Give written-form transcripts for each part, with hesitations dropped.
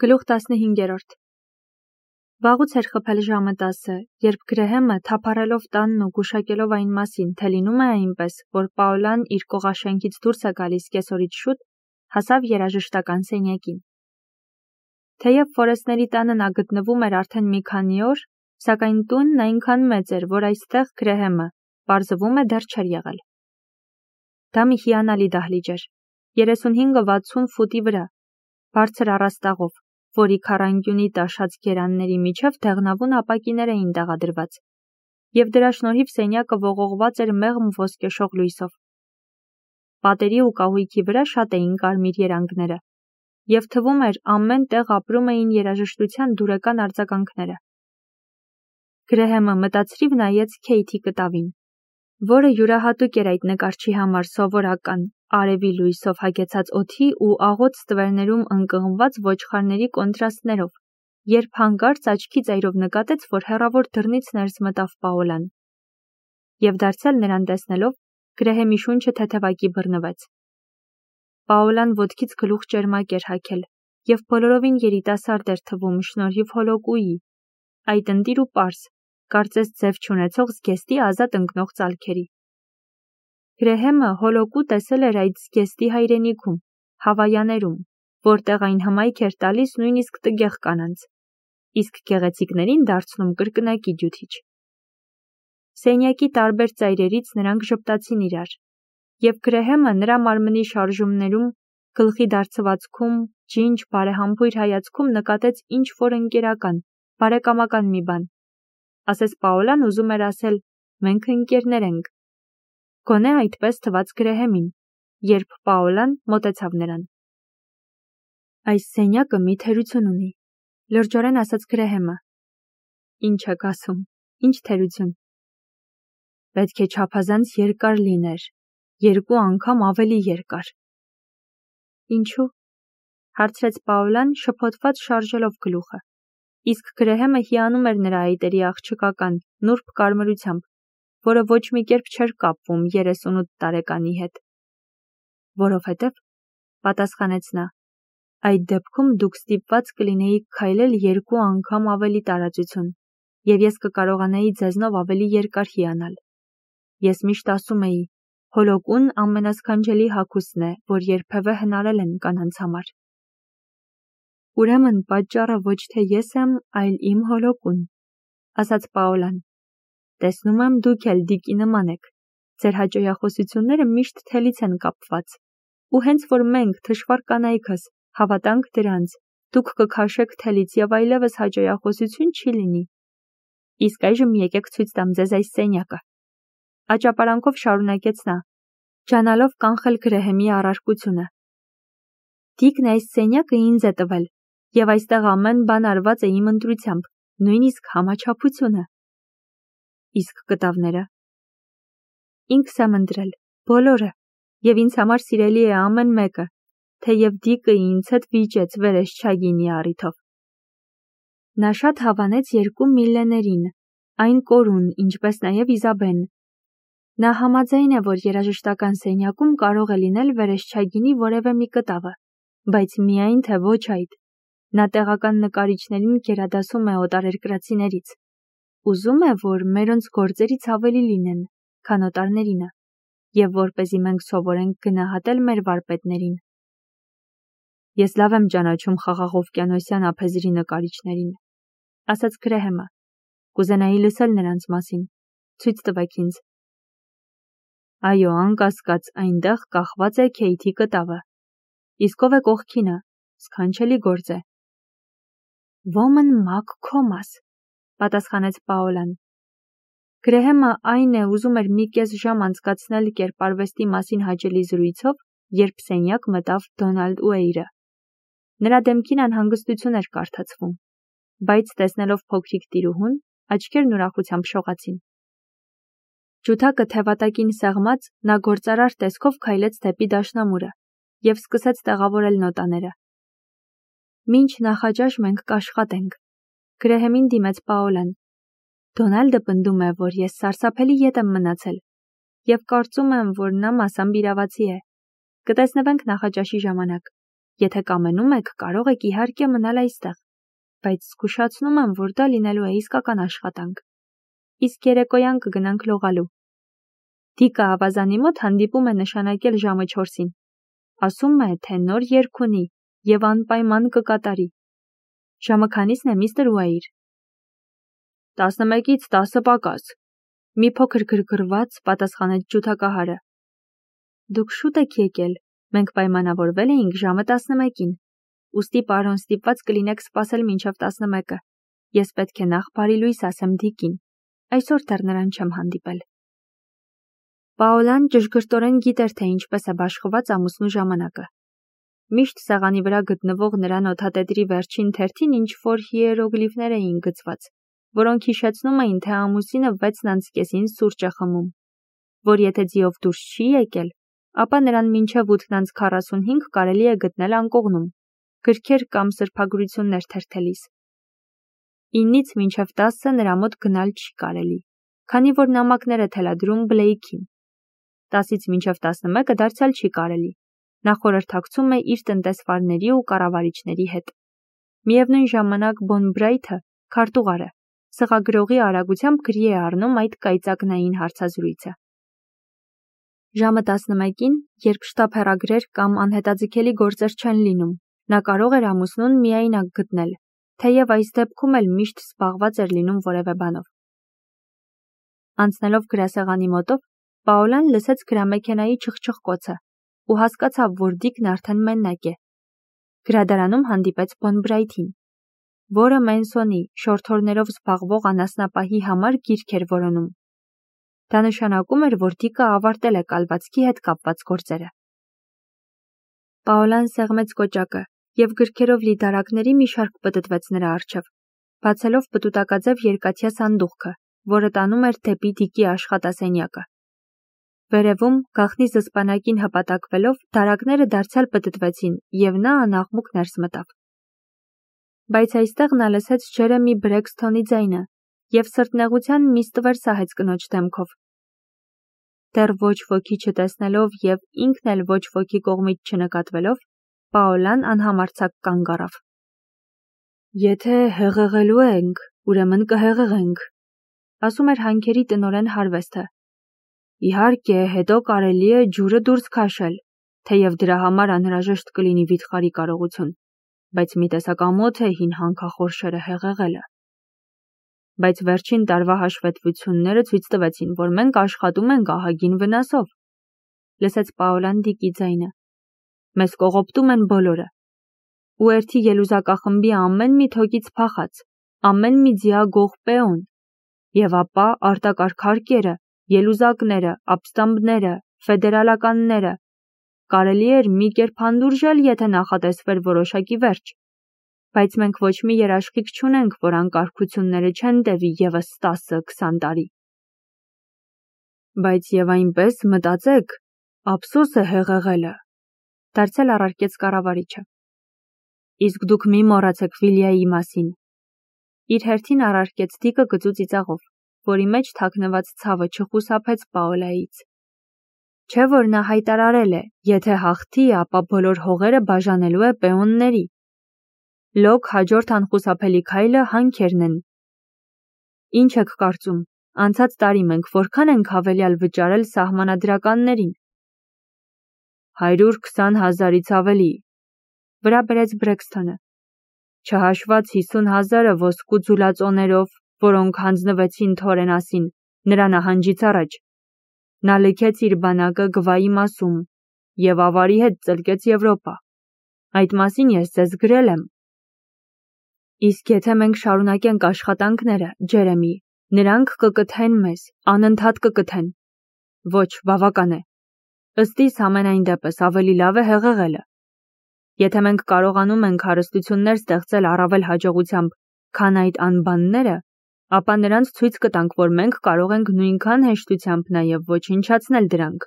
Գլուխ 15. Վաղուց էր խփել ժամը 10, երբ Գրեհեմը, թափառելով տանն ու գուշակելով այն մասին, թե լինում է այնպես, որ Պաուլան իր կողաշենքից դուրս է գալիս կեսօրից շուտ, հասավ երաժշտական սենյակին։ Թեև Ֆորեսների տանը նա գտնվում էր արդեն մի քանի օր, սակայն տունն այնքան մեծ էր, որ այստեղ Գրեհեմը, պարզվում է, դեռ չէր եղել։ Դա մի հիանալի դահլիճ էր, 35-60 ֆուտի վրա, բարձր առաստաղով, որի քառանկյունի տաշած գերանների միջև դեղնավուն ապակիներ էին տեղադրված, և դրա շնորհիվ սենյակը ողողված էր մեղմ ոսկեշող լույսով։ Պատերի ու կահույքի վրա շատ էին կարմիր երանգները, և թվում էր ամեն տեղ ապրում էին երաժշտության դուրեկան արձագանքները։ Գրեհեմը մտածրիվ նայեց Քեյթի կտավին, որը յուրահատուկ էր այդ նկարչի համար սովորական, արևի լույսով հագեցած օդի ու աղոտ ստվերներում ընկղմված ոչխարների կոնտրաստներով, երբ հանկարծ աչքի ծայրով նկատեց, որ հեռավոր դռնից ներս մտավ Պաուլան։ Եվ դարձյալ նրան տեսնելով, Գրեհեմի շունչը թեթևակի բռնվեց։ Պաուլան ոտքից գլուխ ճերմակ էր հագել, և բոլորովին երիտասարդ էր թվում շնորհիվ հոլոկուի, այդ ընտիր ու պարզ, կարծես ձև չունեցող զգեստի ազատ ընկնող ծալքերի։ Գրեհեմը հոլոկու տեսել էր այդ զգեստի հայրենիքում, Հավայաներում, որտեղ այն հմայք էր տալիս նույնիսկ տգեղ կանանց, իսկ գեղեցիկներին դարձնում կրկնակի ջութիչ։ Սենյակի տարբեր ծայրերից նրանք ժպտացին իրար, և Գրեհեմը նրա մարմնի շարժումներում, գլխի դարձվածքում, ջինջ բարեհամբույր հայացքում նկատեց ինչ-որ ընկերական, բարեկամական մի բան։ Ասես Պաուլան ուզում էր ասել. «Մենք ընկերներ ենք»։ Գոնե այդպես թվաց Գրեհեմին, երբ Պաուլան մոտեցավ նրան։ «Այս սենյակը մի թերություն ունի», լրջորեն ասաց Գրեհեմը։ «Ինչ եք ասում, ինչ թերություն»։ «Պետք է չափազանց երկար լիներ, 2 անգամ ավելի երկար»։ «Ինչու՞», հարցրեց Պաուլան, շփոթված շարժելով գլուխը, իսկ Գրեհեմը հիանում էր նրա այտերի աղջկական, նուրբ կարմրությամբ, որը ոչ մի կերպ չէր կապվում 38 տարեկանի հետ։ «Որովհետև», պատասխանեց նա, «այդ դեպքում դուք ստիպված կլինեիք քայլել 2 անգամ ավելի տարածություն, և ես կկարողանայի ձեզնով ավելի երկար հիանալ։ Ես միշտ ասում էի, հոլոկուն ամենասքանչելի հագուստն է, որ երբևէ հնարել են կանանց համար»։ «Ուրեմն պատճառը ոչ թե ես եմ, այլ իմ հոլոկուն», ասաց Պաուլան։ «Տեսնում եմ, դուք էլ Դիկի նման եք, ձեր հաճոյախոսությունները միշտ թելից են կապված, ու հենց որ մենք, թշվառ կանայքս, հավատանք դրանց, դուք կքաշեք թելից և այլևս հաճոյախոսություն չի լինի։ Իսկ այժմ եկեք ցույց տամ ձեզ այս սենյակը», աճապարանքով շարունակեց նա, ջանալով կանխել Գրեհեմի առարկությունը։ «Դիկն այս սենյակը ինձ է տվել, և այստեղ ամեն բան արված է իմ ընտրությամբ, նույնիսկ համաչափությունը»։ «Իսկ կտավները»։ «Ինքս եմ ընտրել, բոլորը, և ինձ համար սիրելի է ամեն մեկը, թեև Դիկը ինձ հետ վիճեց վերեսչագինի առիթով»։ Նա շատ հավանեց 2 միլլեներին, այն կորուն, ինչպես նաև Իզաբեն։ Նա համաձայն է, որ երաժշտական սենյակում կարող է լինել վերեսչագինի որևէ մի կտավը, բայց միայն թե ոչ այդ։ Նա տեղական նկարիչներին գերադասում է օտարերկրացիներից։ Ուզում է, որ մերոնց գործերից ավելի լինեն, քան օտարներինը, և որպեսզի մենք սովորենք գնահատել մեր վարպետներին։ «Ես լավ եմ ճանաչում խաղաղօվկիանոսյան ափեզրի նկարիչներին», ասաց Գրեհեմը։ «Կուզենայի լսել նրանց մասին, ցույց տվեք ինձ»։ «Այո, անկասկած, այնտեղ կախված է Քեյթի կտավը։ Իսկ ով է կողքինը, սքանչելի գործ է»։ «Ոմն Մաքքոմաս», պատասխանեց Պաուլան։ Գրեհեմը այն է ուզում էր մի կես ժամ անցկացնել կերպարվեստի մասին հաճելի զրույցով, երբ սենյակ մտավ Դոնալդ Ուեյրը։ Նրա դեմքին անհանգստություն էր կարդացվում, բայց տեսնելով փոքրիկ տիրուհուն, աչքերն ուրախությամբ շողացին։ Ջութակը թևատակին սեղմած, նա գործարար տեսքով քայլեց դեպի դաշնամուրը և սկսեց տեղավորել նոտաները։ «Մինչ նախաճաշ մենք կաշխատենք», Գրեհեմին դիմեց Պաուլան։ «Դոնալդը պնդում է, որ ես սարսափելի ետ եմ մնացել, և կարծում եմ, որ նա մասամբ իրավացի է։ Կտեսնվենք նախաճաշի ժամանակ»։ Եթե կամենում եք, կարող եք իհարկե մնալ այստեղ, բայց զգուշացնում եմ, որ դա լինելու է իսկական աշխատանք։ Իսկ երեկոյան կգնանք լողալու։ Դիկը ավազանի մոտ հանդիպում է նշանակել ժամը 4-ին։ Ասում է, թե նոր երգ ունի և անպայման կկատարի։ Ժամը քանիսն է, միստր Ուայր։ 11-ից 10 պակաս։ Մի փոքր գրգռված պատասխանեց ջութակահարը։ Դուք շուտ եք եկել, մենք պայմանավորվել էինք ժամը 11-ին։ Ուստի պարոն ստիպված կլինեք սպասել մինչև 11-ը։ Ես պետք է նախ բարի լույս ասեմ Դիկին։ Այսօր դեռ նրան չեմ հանդիպել։ Պաոլան ճշգրտորեն գիտեր, թե ինչպես է բաշխված ամուսնու ժամանակը։ Միշտ սեղանի վրա գտնվող նրա նոթատետրի վերջին թերթին ինչ-որ հիերոգլիֆներ էին գծված, որոնք հիշեցնում էին, թե ամուսինը 6:30-ին սուրճ է խմում, որ եթե ձիով դուրս չի եկել, ապա նրան մինչև 8:45 կարելի է գտնել անկողնում, գրքեր կամ սրբագրություններ թերթելիս։ 9-ից մինչև 10-ը նրա մոտ գնալ չի կարելի, քանի որ նամակներ է թելադրում Բլեյքին։ 10-ից մինչև 11-ը դարձյալ չի կարելի։ Նա խորհրդակցում է իր տնտեսվարների ու կառավարիչների հետ։ Միևնույն ժամանակ Բոնբրայթը, քարտուղարը, սղագրողի արագությամբ գրի է առնում այդ կայծակնային հարցազրույցը։ Ժամը 11-ին, երբ շտապհեռագրեր կամ անհետաձգելի գործեր չեն լինում, նա կարող էր ամուսնուն միայնակ գտնել, թեև այս դեպքում էլ միշտ զբաղված էր լինում որևէ բանով։ Անցնելով գրասեղանի մոտով, Պաոլան լսեց գրամեքենայի չխչխկոցը ու հասկացավ, որ Դիկն արդեն մենակ է։ Գրադարանում հանդիպեց Բոնբրայթին, որը Մենսոնի շորթորներով զբաղվող անասնապահի համար գիրք էր որոնում։ Դա նշանակում էր, որ Դիկը ավարտել է կալվածքի հետ կապված գործերը։ Պաոլան սեղմեց կոճակը և գրքերով լի դարակների մի շարք պտտվեց նրա առջև, բացելով պտուտակաձև երկաթյա սանդուղքը, որը տանում էր դեպի Դիկի աշխատասենյակը։ Վերևում, գաղտնի զսպանակին հպատակվելով, դարակները դարձյալ պտտվեցին, և նա անաղմուկ ներս մտավ։ Բայց այստեղ նա լսեց Ջերեմի Բրեքսթոնի ձայնը և սրտնեղության մի ստվեր սահեց կնոջ դեմքով։ Դեռ ոչ ոքի չտեսնելով և ինքն էլ ոչ ոքի կողմից չնկատվելով, Պաոլան անհամարձակ կանգ առավ։ Եթե հեղեղելու ենք, ուրեմն կհեղեղենք, ասում էր հանքերի տնօրեն Հարվեսթը։ Իհարկե, հետո կարելի է ջուրը դուրս քաշել, թեև դրա համար անհրաժեշտ կլինի վիթխարի կարողություն, բայց մի տեսակ ամոթ է հին հանքախորշերը հեղեղելը։ Բայց վերջին տարվա հաշվետվությունները ցույց տվեցին, որ մենք աշխատում ենք ահագին վնասով, լսեց Պաոլան Դիկի ձայնը։ Մեզ կողոպտում են բոլորը։ Ուերթի ելուզակախմբի ամեն մի թոկից փախած, ամեն մի ձիագող պեոն, և ապա արտակարգարկերը, ելուզակները, ապստամբները, ֆեդերալականները, կարելի էր մի կերպ հանդուրժել, եթե նախատեսվեր որոշակի վերջ, բայց մենք ոչ մի երաշխիք չունենք, որ անկարգությունները չեն տևի ևս 10-20 տարի։ Բայց և այնպես մտածեք, ափսոս է հեղեղելը, դարձյալ առարկեց կառավարիչը։ Իսկ դուք մի մոռացեք Վիլյայի մասին։ Իր հերթին առարկեց Դիկը գծու ծիծաղով, որի մեջ թաքնված ցավը չխուսափեց Պաոլայից։ Չէ՞ որ նա հայտարարել է, եթե հաղթի, ապա բոլոր հողերը բաժանելու է պեոնների։ Լոկ հաջորդ անխուսափելի քայլը հանքերն են։ Ինչ եք կարծում, անցած տարի մենք որքան ենք հավելյալ վճարել սահմանադրականներին։ 120,000-ից ավելի, վրա բերեց Բրեքսթոնը, չհաշված 50,000-ը ոսկու ձուլածոներով, որոնք հանձնվեցին Թորենասին, նրա նահանջից առաջ։ Նա լքեց իր բանակը Գվայի մասում և ավարի հետ ծլկեց Եվրոպա։ Այդ մասին ես ձեզ գրել եմ։ Իսկ եթե մենք շարունակենք աշխատանքները, Ջերեմի, նրանք կկթեն մեզ, անընդհատ կկթեն։ Ոչ, բավական է։ Ըստ իս ամենայն դեպս ավելի լավ է հեղեղելը։ Եթե մենք կարողանում ենք հարստություններ ստեղծել առավել հաջողությամբ, քան այդ անբանները, ապա նրանց ցույց կտանք, որ մենք կարող ենք նույնքան հեշտությամբ նաև ոչնչացնել դրանք։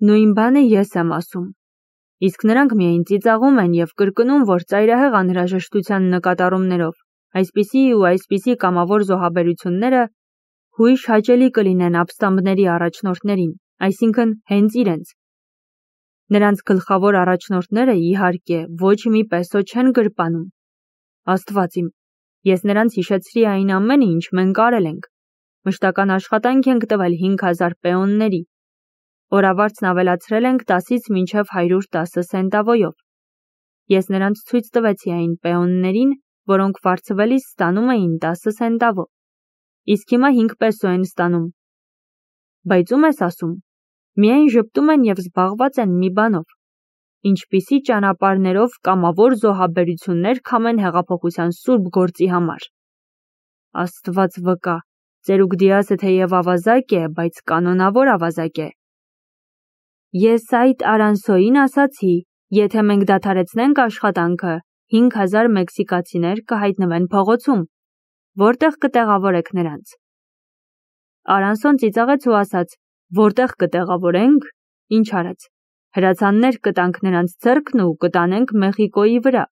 Նույն բանը ես եմ ասում։ Իսկ նրանք միայն ծիծաղում են և կրկնում, որ ծայրահեղ անհրաժեշտության նկատառումներով այսպիսի ու այսպիսի կամավոր զոհաբերությունները հույժ հաճելի կլինեն ապստամբների առաջնորդներին, այսինքն հենց իրենց։ Նրանց գլխավոր առաջնորդները, իհարկե, ոչ մի պեսո չեն գրպանում։ Աստված իմ, ես նրանց հիշեցրի այն ամենը, ինչ մենք արել ենք։ Մշտական աշխատանք ենք տվել 5000 պեոնների։ Օրավարձն ավելացրել ենք 10-ից մինչև 110 սենտավոյով։ Ես նրանց ցույց տվեցի այն պեոններին, որոնք վարձվելիս ստանում էին 10 սենտավո։ Իսկ հիմա 5 պեսո են ստանում։ Բայց ում ես ասում, միայն ժպտում են և զբաղված են մի բանով, ինչպիսի ճանապարհներով կամավոր զոհաբերություններ քամեն հեղափոխության սուրբ գործի համար։ Աստված վկա, ծերուկ Դիասը թեև ավազակ է, բայց կանոնավոր ավազակ է։ Ես այդ Արանսոյին ասացի, եթե մենք դադարեցնենք աշխատանքը, 5000 մեքսիկացիներ կհայտնվեն փողոցում, որտեղ կտեղավորեք նրանց։ Արանսոն ծիծաղեց ու ասաց, որտեղ կտեղավորենք, ինչ արած, հրացաններ կտանք նրանց ձեռքն ու կտանենք Մեխիկոյի վրա։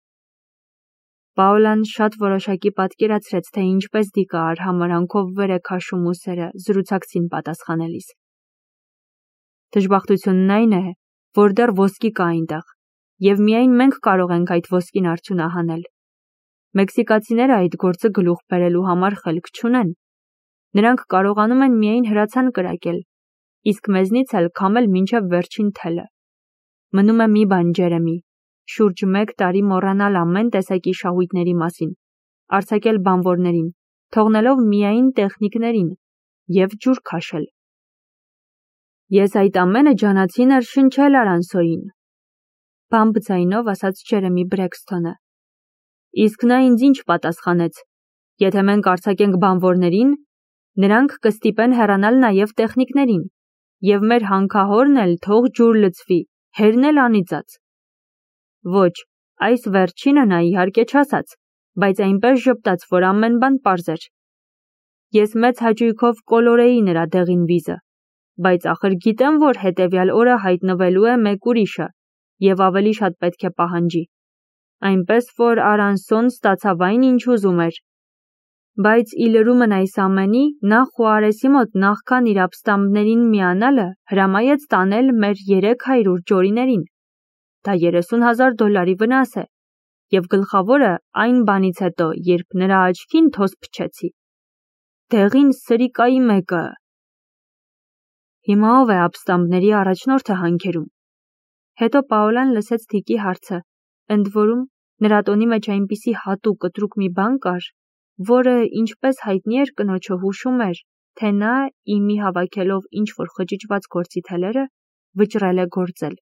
Պաուլան շատ որոշակի պատկերացրեց, թե ինչպես դիկա արհամարանքով վեր է քաշում ուսերը զրուցակցին պատասխանելիս։ Դժբախտությունն այն է, որ դեռ ոսկի կա այնտեղ, և միայն մենք կարող ենք այդ ոսկին արդյունահանել։ Մեքսիկացիները այդ գործը գլուխ բերելու համար խելք չունեն։ Նրանք կարողանում են միայն հրացան կրակել, իսկ մեզնից էլ քամել մինչև վերջին թելը։ Մնում է մի բան, Ջերեմի, շուրջ 1 տարի մոռանալ ամեն տեսակի շահույթների մասին, արձակել բանվորներին, թողնելով միայն տեխնիկներին և ջուր քաշել։ Ես այդ ամենը ջանացի ներշնչել Արանսոյին, բամբ ձայնով ասաց Ջերեմի Բրեքսթոնը։ Իսկ նա ինձ ինչ պատասխանեց, եթե մենք արձակենք բանվորներին, նրանք կստիպեն հեռանալ նաև տեխնիկներին, և մեր հանքահորն էլ թող ջուր լցվի, հերն էլ անիծած։ Ոչ, այս վերջինը նա իհարկե չասաց, բայց այնպես ժպտաց, որ ամեն բան պարզ էր։ Ես մեծ հաճույքով կոլորեի նրա դեղին վիզը, բայց ախր գիտեմ, որ հետևյալ օրը հայտնվելու է մեկ ուրիշը, և ավելի շատ պետք է պահանջի։ Այնպես, որ Արանսոն ստացավ այն, ինչ ուզում էր։ Բայց ի լրումն այս ամենի, նա Խուարեսի մոտ նախքան իր ապստամբներին միանալը հրամայեց տանել մեր 300 ջորիներին։ Դա $30,000 վնաս է, և գլխավորը այն բանից հետո, երբ նրա աչքին թոս փչեցի։ Դեղին սրիկայի մեկը։ Հիմա ով է ապստամբների առաջնորդը հանքերում։ Հետո Պաուլան լսեց Դիկի հարցը, ընդ որում նրա տոնի մեջ այնպիսի հատուկ կտրուկ մի բան կար, որը, ինչպես հայտնի էր կնոջը, հուշում էր, թե նա, իմի հավաքելով ինչ-որ խճճված գործի թելերը, վճռել է գործել։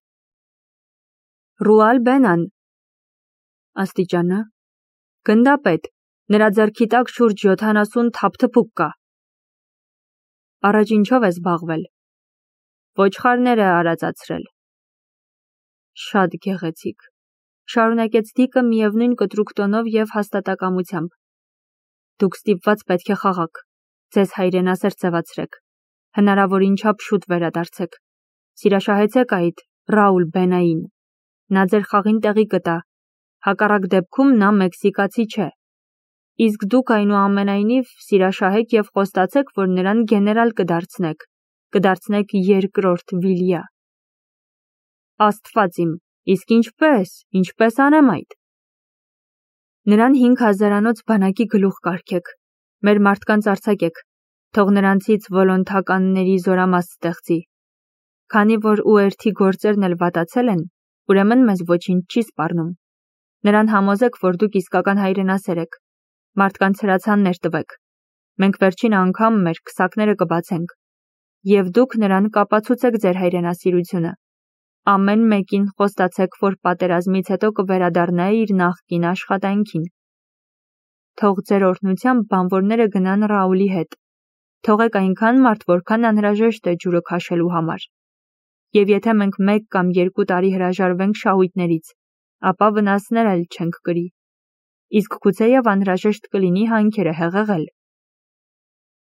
Ռուալ Բենան։ Աստիճանը։ Գնդապետ, նրա ձեռքի տակ շուրջ 70 թափթփուկ կա։ Առաջ ինչով է զբաղվել։ Ոչխարներ է արածացրել։ Շատ գեղեցիկ, շարունակեց Դիկը միևնույն կտրուկ տոնով և հաստատակամությամբ։ Դուք ստիպված պետք է խաղաք, ձեզ հայրենասեր ձևացրեք, հնարավորին չափ շուտ վերադարձեք, սիրաշահեցեք այդ Ռաուլ Բենային, նա ձեր խաղին տեղի կտա, հակառակ դեպքում նա մեքսիկացի չէ, իսկ դուք այնուամենայնիվ սիրաշահեք և խոստացեք, որ նրան գեներալ կդարձնեք երկրորդ Վիլյա։ Աստված իմ, իսկ ինչպես անեմ այդ։ Նրան 5000-անոց բանակի գլուխ կարգեք, մեր մարդկանց արձակեք, թող նրանցից վոլոնթականների զորամաս ստեղծի։ Քանի որ ուերթի գործերն էլ վատացել են, ուրեմն մեզ ոչինչ չի սպառնում։ Նրան համոզեք, որ դուք իսկական հայրենասեր եք, մարդկանց հրացաններ տվեք, մենք վերջին անգամ մեր քսակները կբացենք, և դուք նրան կապացուցեք ձեր հայրենասիրությունը։ Ամեն մեկին խոստացեք, որ պատերազմից հետո կվերադառնա իր նախկին աշխատանքին։ Թող ձեր օրհնությամբ բանվորները գնան Ռաուլի հետ։ Թողեք այնքան մարդ, որքան անհրաժեշտ է ջուրը քաշելու համար։ Եվ եթե մենք 1 կամ 2 տարի հրաժարվենք շահույթներից, ապա վնասներ էլ չենք կրի։ Իսկ գուցեև անհրաժեշտ կլինի հանքերը հեղեղել։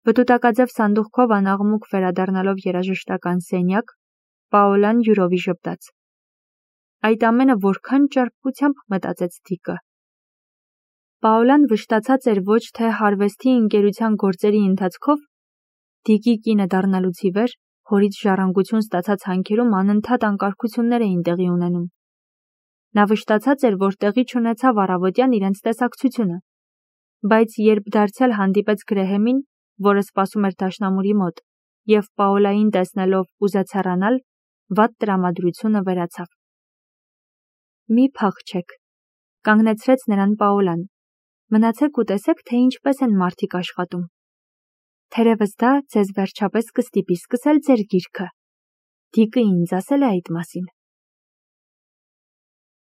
Վտուտակաձև սանդուղքով անաղմուկ վերադառնալով երաժշտական սենյակ, Պաուլան յուրովի ժպտաց։ Այդ ամենը որքան ճարպկությամբ մտածեց Դիկը։ Պաուլան վշտացած էր ոչ թե հարվեստի ընկերության գործերի ընթացքով, Դիկի կինը դառնալուց ի վեր, հորից ժառանգություն ստացած հանքերում անընդհատ անկարգություններ էին տեղի ունենում։ Նա վշտացած էր, որ տեղի չունեցավ առավոտյան իրենց տեսակցությունը, բայց երբ դարձյալ հանդիպեց Գրեհեմին, որը սպասում էր դաշնամուրի մոտ, և Պաոլային տեսնելով ուզեց հեռանալ, վատ տրամադրությունը վերացավ։ «Մի փախչեք», կանգնեցրեց նրան Պաոլան։ «Մնացեք ու տեսեք, թե ինչպես են մարդիկ աշխատում։ Թերևս դա ձեզ վերջապես կստիպի սկսել ձեր գիրքը։ Դիկը ինձ ասել է այդ մասին»։